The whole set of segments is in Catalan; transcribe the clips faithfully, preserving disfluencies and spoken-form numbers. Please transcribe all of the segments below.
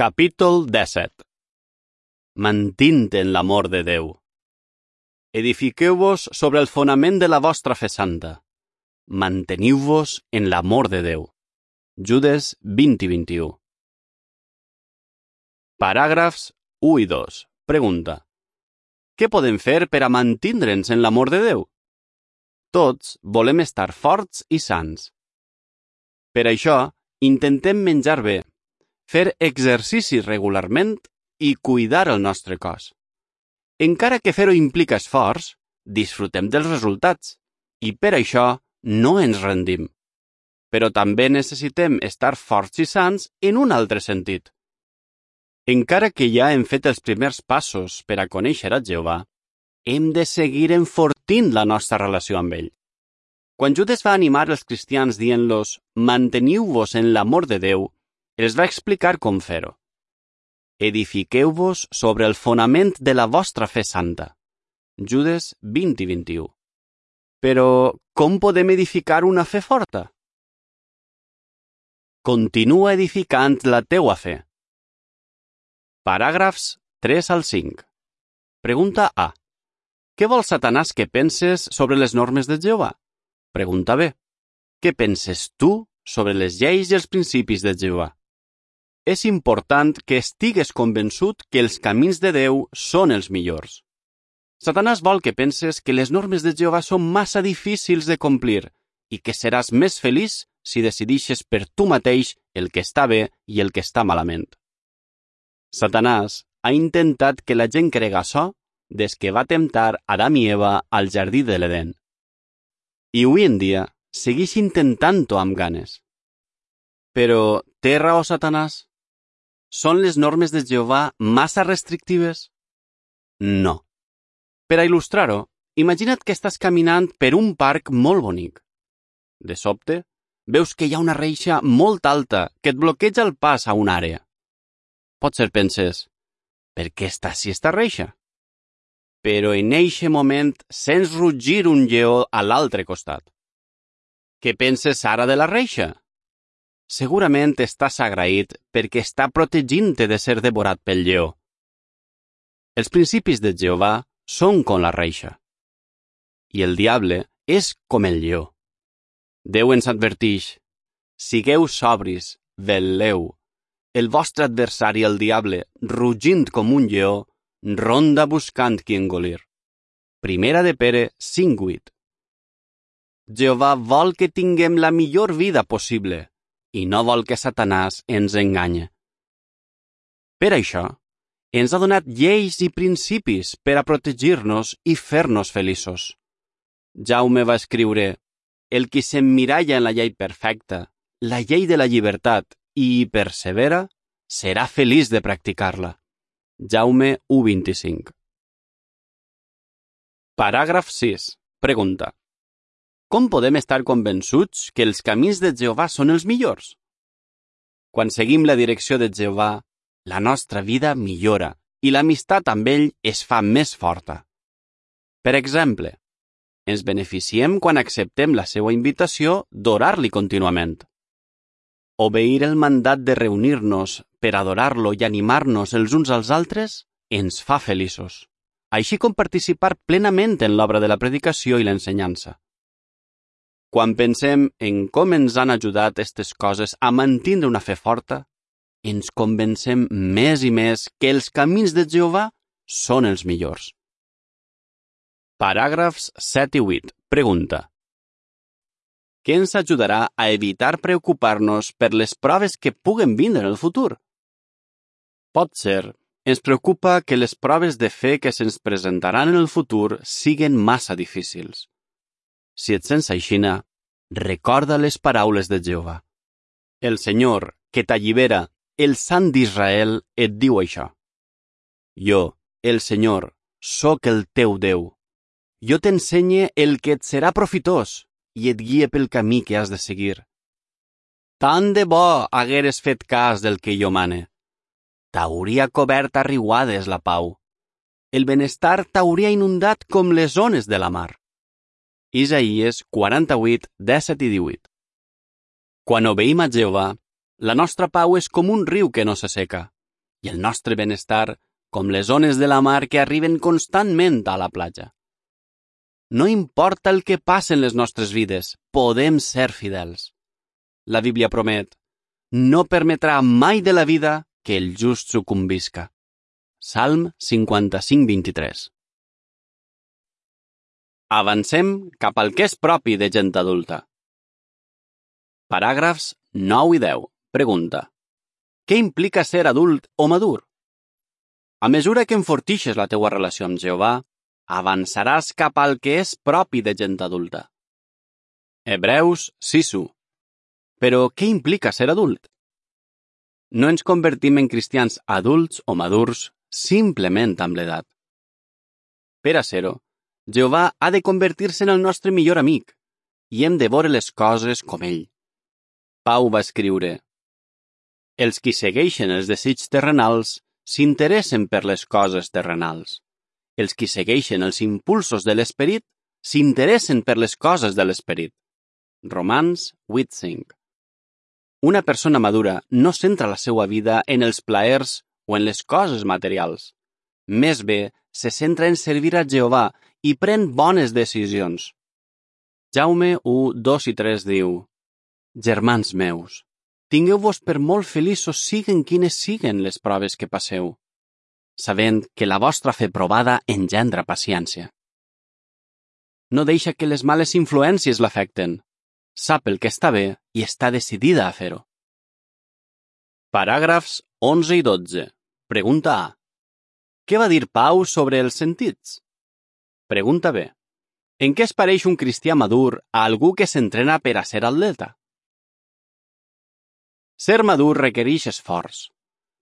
Capítol disset. Mantint en l'amor de Déu. Edifiqueu-vos sobre el fonament de la vostra fe santa. Manteniu-vos en l'amor de Déu. Judes vint i vint-i-u. Paràgrafs u i dos. Pregunta. Què podem fer per a mantindre'ns en l'amor de Déu? Tots volem estar forts i sants. Per això, intentem menjar bé, fer exercici regularment i cuidar el nostre cos. Encara que fer-ho implica esforç, disfrutem dels resultats i per això no ens rendim. Però també necessitem estar forts i sants en un altre sentit. Encara que ja hem fet els primers passos per a conèixer a Jehovà, hem de seguir enfortint la nostra relació amb ell. Quan Judes va animar els cristians dient-los «Manteniu-vos en l'amor de Déu», els va explicar com fer-ho. Edifiqueu-vos sobre el fonament de la vostra fe santa. Judes vint i vint-i-u. Però, com podem edificar una fe forta? Continua edificant la teua fe. Paràgrafs tres al cinc. Pregunta A. Què vol Satanàs que penses sobre les normes de Jehovà? Pregunta B. Què penses tu sobre les lleis i els principis de Jehovà? És important que estigues convençut que els camins de Déu són els millors. Satanàs vol que penses que les normes de Jehovà són massa difícils de complir i que seràs més feliç si decidixes per tu mateix el que està bé i el que està malament. Satanàs ha intentat que la gent crega açò des que va temptar Adam i Eva al jardí de l'Edén. I avui en dia segueix intentant-ho amb ganes. Però té raó Satanàs? Són les normes de Jehovà massa restrictives? No. Per a il·lustrar-ho, imagina't que estàs caminant per un parc molt bonic. De sobte, veus que hi ha una reixa molt alta que et bloqueja el pas a una àrea. Potser penses, per què està així esta reixa? Però en eixe moment sents rugir un lleó a l'altre costat. Què penses ara de la reixa? Segurament estàs agraït perquè està protegint-te de ser devorat pel lleó. Els principis de Jehovà són com la reixa. I el diable és com el lleó. Déu ens advertix, sigueu sobris, vetlleu. El vostre adversari, el diable, rugint com un lleó, ronda buscant qui engolir. Primera de Pere cinc vuit. Jehovà vol que tinguem la millor vida possible i no vol que Satanàs ens enganye. Per això, ens ha donat lleis i principis per a protegir-nos i fer-nos feliços. Jaume va escriure, el qui s'emmiralla en la llei perfecta, la llei de la llibertat, i hi persevera, serà feliç de practicar-la. Jaume u vint-i-cinc. Paràgraf sis. Pregunta. Com podem estar convençuts que els camins de Jehovà són els millors? Quan seguim la direcció de Jehovà, la nostra vida millora i l'amistat amb ell es fa més forta. Per exemple, ens beneficiem quan acceptem la seva invitació d'orar-li contínuament. Obeir el mandat de reunir-nos per adorar-lo i animar-nos els uns als altres ens fa feliços, així com participar plenament en l'obra de la predicació i l'ensenyança. Quan pensem en com ens han ajudat aquestes coses a mantenir una fe forta, ens convencem més i més que els camins de Jehovà són els millors. Paràgrafs set i vuit. Pregunta. Què ens ajudarà a evitar preocupar-nos per les proves que puguen vindre en el futur? Potser ens preocupa que les proves de fe que se'ns presentaran en el futur siguen massa difícils. Si et sents aixina, recorda les paraules de Jehovà. El Senyor, que t'allibera, el Sant d'Israel, et diu això. Jo, el Senyor, sóc el teu Déu. Jo t'ensenye el que et serà profitós i et guie pel camí que has de seguir. Tant de bo hagueres fet cas del que jo mane. T'hauria cobert a riuades la pau. El benestar t'hauria inundat com les ones de la mar. Isaïes quaranta-vuit, disset i divuit. Quan obeïm a Jehovà, la nostra pau és com un riu que no s'asseca, i el nostre benestar com les ones de la mar que arriben constantment a la platja. No importa el que passe en les nostres vides, podem ser fidels. La Bíblia promet: no permetrà mai de la vida que el just sucumbisca. Salm cinquanta-cinc vint-i-tres. Avancem cap al que és propi de gent adulta. Paràgrafs nou i deu. Pregunta: què implica ser adult o madur? A mesura que enfortixes la teua relació amb Jehovà, avançaràs cap al que és propi de gent adulta. Hebreus sis u. Però què implica ser adult? No ens convertim en cristians adults o madurs simplement amb l'edat. Per a ser-ho, Jehovà ha de convertir-se en el nostre millor amic i hem de veure les coses com ell. Pau va escriure: els qui segueixen els desitjos terrenals s'interessen per les coses terrenals. Els qui segueixen els impulsos de l'esperit s'interessen per les coses de l'esperit. Romans vuit cinc. Una persona madura no centra la seva vida en els plaers o en les coses materials. Més bé, se centra en servir a Jehovà i pren bones decisions. Jaume u, dos i tres diu: germans meus, tingueu-vos per molt feliços siguen quines siguen les proves que passeu, sabent que la vostra fe provada engendra paciència. No deixa que les males influències l'afecten. Sap el que està bé i està decidida a fer-ho. Paràgrafs onze i dotze. Pregunta A. Què va dir Pau sobre els sentits? Pregunta B. En què es pareix un cristià madur a algú que s'entrena per a ser atleta? Ser madur requereix esforç.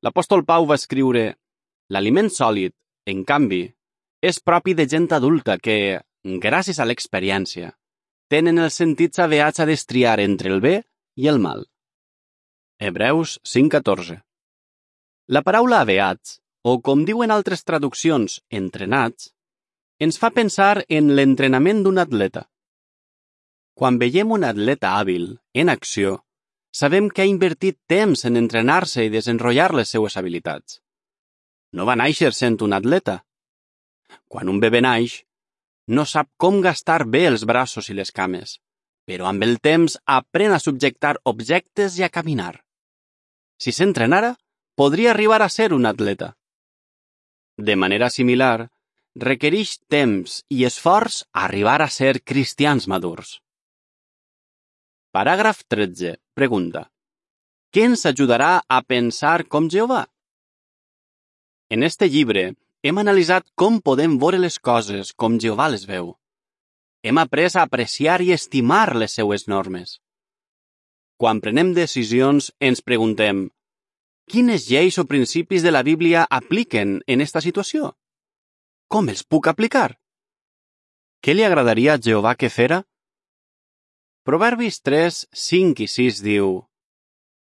L'apòstol Pau va escriure: l'aliment sòlid, en canvi, és propi de gent adulta que, gràcies a l'experiència, tenen els sentits aveats a destriar entre el bé i el mal. Hebreus cinc catorze. La paraula aveats, o com diuen altres traduccions, entrenats, ens fa pensar en l'entrenament d'un atleta. Quan veiem un atleta hàbil, en acció, sabem que ha invertit temps en entrenar-se i desenrotllar les seues habilitats. No va néixer sent un atleta. Quan un bebè naix, no sap com gastar bé els braços i les cames, però amb el temps aprèn a subjectar objectes i a caminar. Si s'entrenara, podria arribar a ser un atleta. De manera similar, requereix temps i esforç arribar a ser cristians madurs. Paràgraf tretze. Pregunta: què ens ajudarà a pensar com Jehovà? En este llibre hem analitzat com podem veure les coses com Jehovà les veu. Hem après a apreciar i estimar les seues normes. Quan prenem decisions, ens preguntem: quines lleis o principis de la Bíblia apliquen en esta situació? Com els puc aplicar? Què li agradaria a Jehovà que fera? Proverbis tres, cinc i sis diu: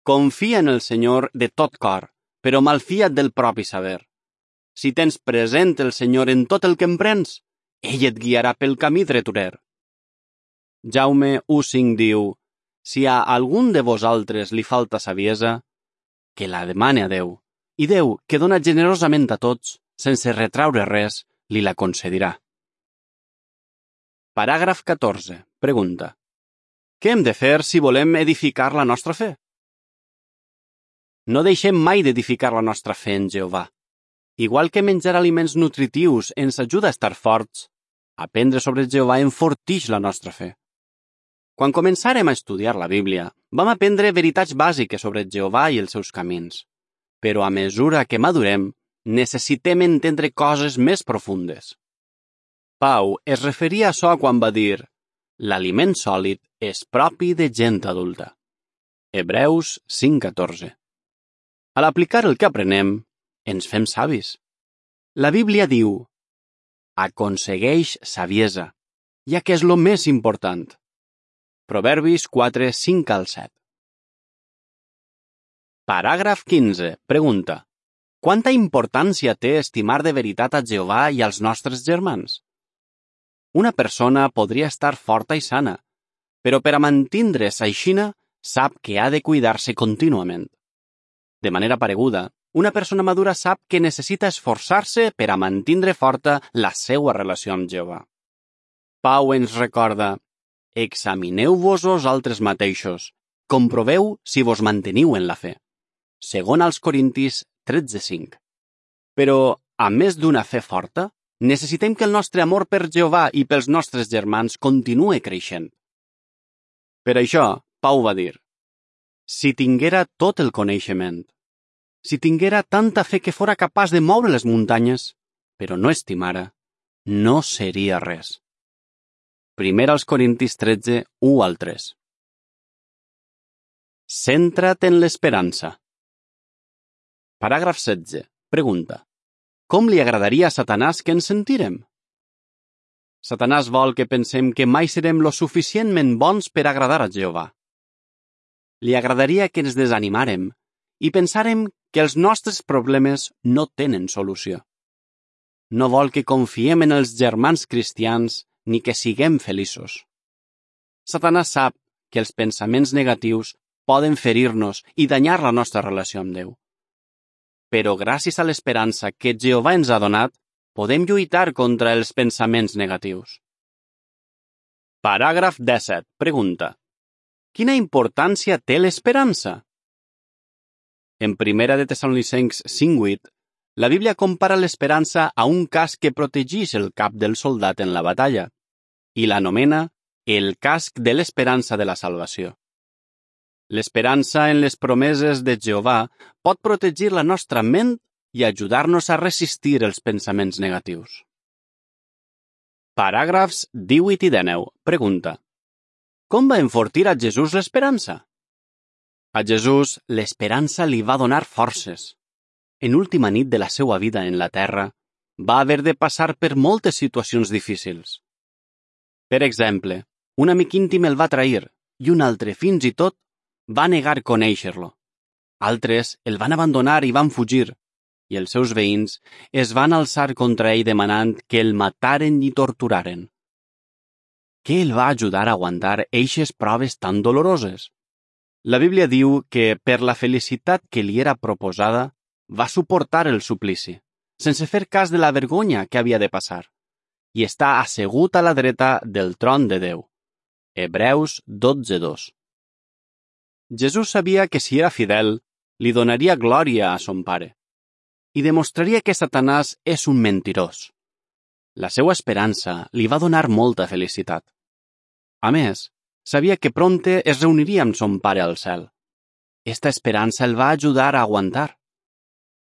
confia en el Senyor de tot cor, però malfia't del propi saber. Si tens present el Senyor en tot el que emprens, ell et guiarà pel camí dreturer. Jaume u cinc diu: si a algun de vosaltres li falta saviesa, que la demane a Déu, i Déu, que dona generosament a tots, sense retraure res, li la concedirà. Paràgraf catorze. Pregunta: què hem de fer si volem edificar la nostra fe? No deixem mai d'edificar la nostra fe en Jehovà. Igual que menjar aliments nutritius ens ajuda a estar forts, aprendre sobre Jehovà enfortix la nostra fe. Quan començàrem a estudiar la Bíblia, vam aprendre veritats bàsiques sobre Jehovà i els seus camins. Però a mesura que madurem, necessitem entendre coses més profundes. Pau es referia a això quan va dir: l'aliment sòlid és propi de gent adulta. Hebreus cinc catorze. Al aplicar el que aprenem, ens fem savis. La Bíblia diu: aconsegueix saviesa, ja que és lo més important. Proverbis quatre, cinc al set. Paràgraf quinze. Pregunta: quanta importància té estimar de veritat a Jehovà i als nostres germans? Una persona podria estar forta i sana, però per a mantindre's aixina sap que ha de cuidar-se contínuament. De manera pareguda, Una persona madura sap que necessita esforçar-se per a mantindre forta la seva relació amb Jehovà. Pau ens recorda: examineu-vos vosaltres mateixos, comproveu si vos manteniu en la fe. Segon als Corintis tretze cinc. Però, a més d'una fe forta, necessitem que el nostre amor per Jehovà i pels nostres germans continue creixent. Per això, Pau va dir: si tinguera tot el coneixement, si tinguera tanta fe que fora capaç de moure les muntanyes, però no estimara, no seria res. Primer als Corintis tretze, u al tres. Centra't en l'esperança. Paràgraf setze. Pregunta: com li agradaria a Satanàs que ens sentirem? Satanàs vol que pensem que mai serem lo suficientment bons per agradar a Jehovà. Li agradaria que ens desanimàrem i pensàrem que els nostres problemes no tenen solució. No vol que confiem en els germans cristians ni que siguem feliços. Satanàs sap que els pensaments negatius poden ferir-nos i danyar la nostra relació amb Déu. Però gràcies a l'esperança que Jehovà ens ha donat, podem lluitar contra els pensaments negatius. Paràgraf disset. Pregunta: quina importància té l'esperança? En primera de Tessalonicencs cinc vuit, la Bíblia compara l'esperança a un casc que protegeix el cap del soldat en la batalla i l'anomena el casc de l'esperança de la salvació. L'esperança en les promeses de Jehovà pot protegir la nostra ment i ajudar-nos a resistir els pensaments negatius. Paràgrafs divuit i dinou. Pregunta: com va enfortir a Jesús l'esperança? A Jesús l'esperança li va donar forces. En última nit de la seva vida en la terra, va haver de passar per moltes situacions difícils. Per exemple, un amic íntim el va trair i un altre, fins i tot, va negar conèixer-lo. Altres el van abandonar i van fugir, i els seus veïns es van alçar contra ell demanant que el mataren i torturaren. Què el va ajudar a aguantar eixes proves tan doloroses? La Bíblia diu que, per la felicitat que li era proposada, va suportar el suplici, sense fer cas de la vergonya que havia de passar, i està assegut a la dreta del tron de Déu. Hebreus dotze dos. Jesús sabia que si era fidel, li donaria glòria a son pare, i demostraria que Satanàs és un mentirós. La seva esperança li va donar molta felicitat. A més, sabia que prompte es reuniria amb son pare al cel. Esta esperança el va ajudar a aguantar.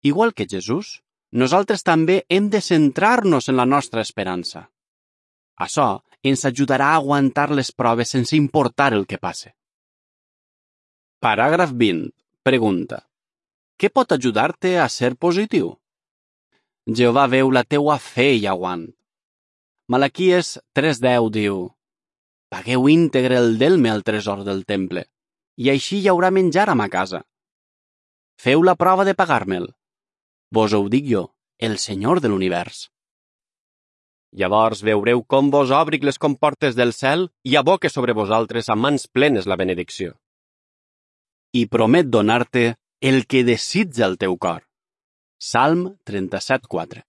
Igual que Jesús, nosaltres també hem de centrar-nos en la nostra esperança. Això ens ajudarà a aguantar les proves sense importar el que passe. Paràgraf vint. Pregunta: què pot ajudar-te a ser positiu? Jehovà veu la teua fe i aguant. Malaquies tres deu diu: pagueu íntegre el delme al tresor del temple, i així hi haurà menjar a ma casa. Feu la prova de pagar-me'l. Vos ho dic jo, el Senyor de l'univers. Llavors veureu com vos obric les comportes del cel i aboque sobre vosaltres a mans plenes la benedicció. I promet donar-te el que desitja el teu cor. Salm trenta-set quatre.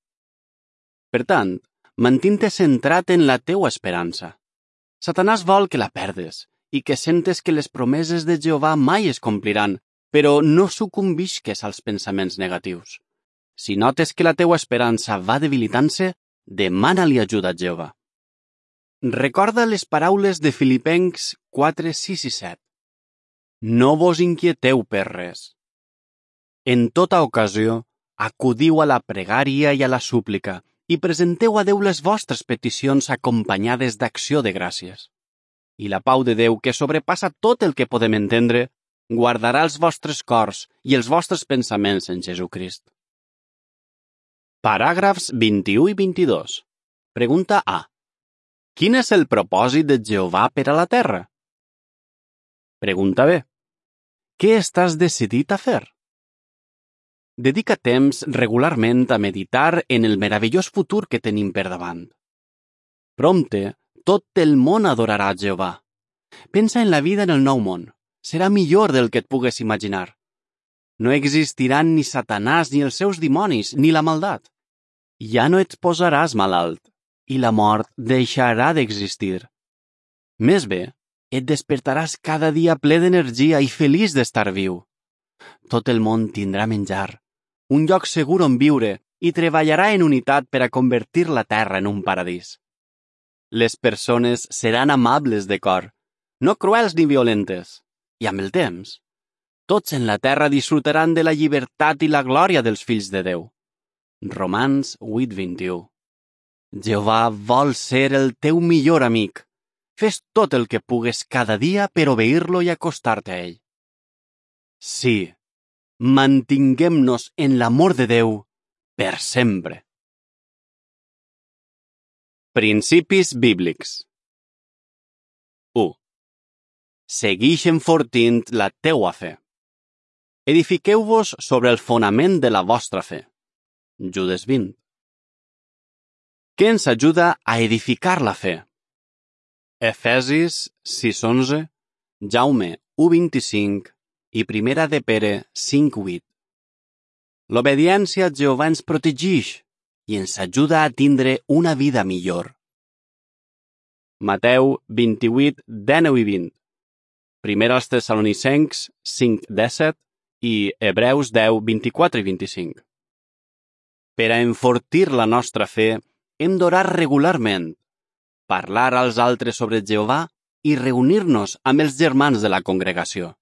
Per tant, mantint-te centrat en la teua esperança. Satanàs vol que la perdes i que sentes que les promeses de Jehovà mai es compliran, però no sucumbisques als pensaments negatius. Si notes que la teua esperança va debilitant-se, demana-li ajuda a Jehovà. Recorda les paraules de Filipencs quatre sis i set. No vos inquieteu per res. En tota ocasió, acudiu a la pregària i a la súplica i presenteu a Déu les vostres peticions acompanyades d'acció de gràcies. I la pau de Déu, que sobrepassa tot el que podem entendre, guardarà els vostres cors i els vostres pensaments en Jesucrist. Paràgrafs vint-i-u i vint-i-dos. Pregunta A. Quin és el propòsit de Jehovà per a la terra? Pregunta B. Què estàs decidit a fer? Dedica temps regularment a meditar en el meravellós futur que tenim per davant. Prompte, tot el món adorarà a Jehovà. Pensa en la vida en el nou món. Serà millor del que et pugues imaginar. No existiran ni Satanàs ni els seus dimonis, ni la maldat. Ja no et posaràs malalt, i la mort deixarà d'existir. Més bé, et despertaràs cada dia ple d'energia i feliç d'estar viu. Tot el món tindrà menjar, un lloc segur on viure i treballarà en unitat per a convertir la terra en un paradís. Les persones seran amables de cor, no cruels ni violentes, i amb el temps, tots en la terra disfrutaran de la llibertat i la glòria dels fills de Déu. Romans vuit vint-i-u. Jehovà vol ser el teu millor amic. Fes tot el que pugues cada dia per obeir-lo i acostar-te a ell. Sí, mantinguem-nos en l'amor de Déu per sempre. Principis bíblics. u. Seguix enfortint la teua fe. Edifiqueu-vos sobre el fonament de la vostra fe. Judes vint. Què ens ajuda a edificar la fe? Efesis sis onze, Jaume u vint-i-cinc i Primera de Pere cinc vuit. L'obediència a Jehovà ens protegeix i ens ajuda a tindre una vida millor. Mateu vint-i-vuit, dinou i vint. Primer als Tessalonicencs cinc disset i Hebreus deu, vint-i-quatre i vint-i-cinc. Per a enfortir la nostra fe, hem d'orar regularment, parlar als altres sobre Jehovà i reunir-nos amb els germans de la congregació.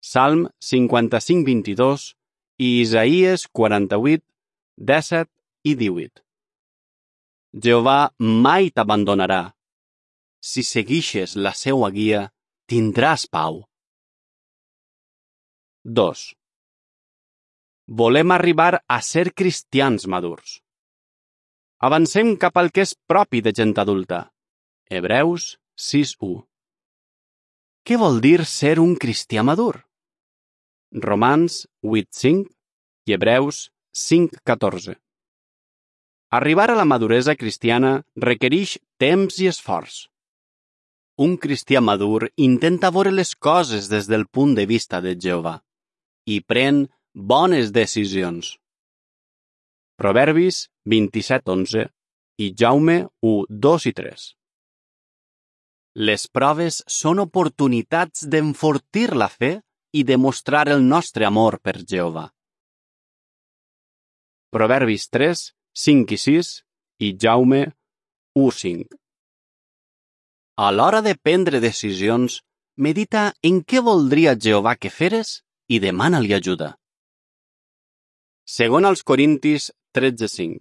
Salm cinquanta-cinc vint-i-dos i Isaïes quaranta-vuit, disset i divuit. Jehovà mai t'abandonarà. Si seguixes la seua guia, tindràs pau. dos. Volem arribar a ser cristians madurs. Avancem cap al que és propi de gent adulta. Hebreus sis u. Què vol dir ser un cristià madur? Romans vuit cinc i Hebreus cinc catorze. Arribar a la maduresa cristiana requereix temps i esforç. Un cristià madur intenta veure les coses des del punt de vista de Jehovà i pren bones decisions. Proverbis vint-i-set onze i Jaume u dos i tres. Les proves són oportunitats d'enfortir la fe i demostrar el nostre amor per Jehovà. Proverbis tres, cinc i sis i Jaume u cinc. A l'hora de prendre decisions, medita en què voldria Jehovà que feres i demana-li ajuda. Segon als Corintis tretze cinc.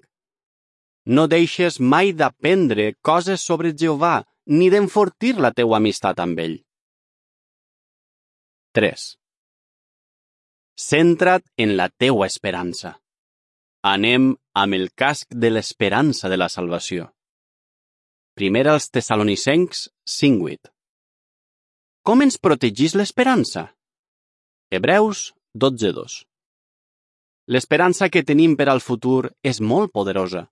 No deixes mai d'aprendre coses sobre Jehovà ni d'enfortir la teua amistat amb ell. tres. Centra't en la teua esperança. Anem amb el casc de l'esperança de la salvació. Primer als Tessalonicencs cinc vuit. Com ens protegís l'esperança? Hebreus dotze dos. L'esperança que tenim per al futur és molt poderosa.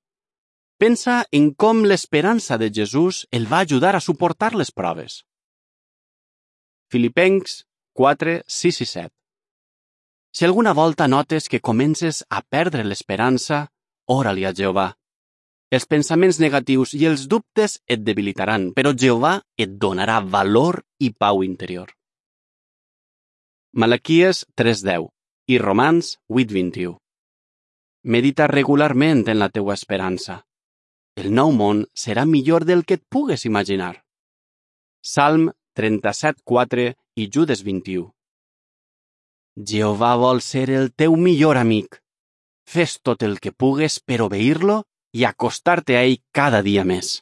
Pensa en com l'esperança de Jesús el va ajudar a suportar les proves. Filipencs quatre, sis i set. Si alguna volta notes que comences a perdre l'esperança, ora-li a Jehovà. Els pensaments negatius i els dubtes et debilitaran, però Jehovà et donarà valor i pau interior. Malaquies tres deu i Romans vuit vint-i-u. Medita regularment en la teua esperança. El nou món serà millor del que et pugues imaginar. Salm trenta-set quatre i Judes vint-i-u. Jehovà vol ser el teu millor amic. Fes tot el que pugues per obeir-lo i acostar-te a ell cada dia més.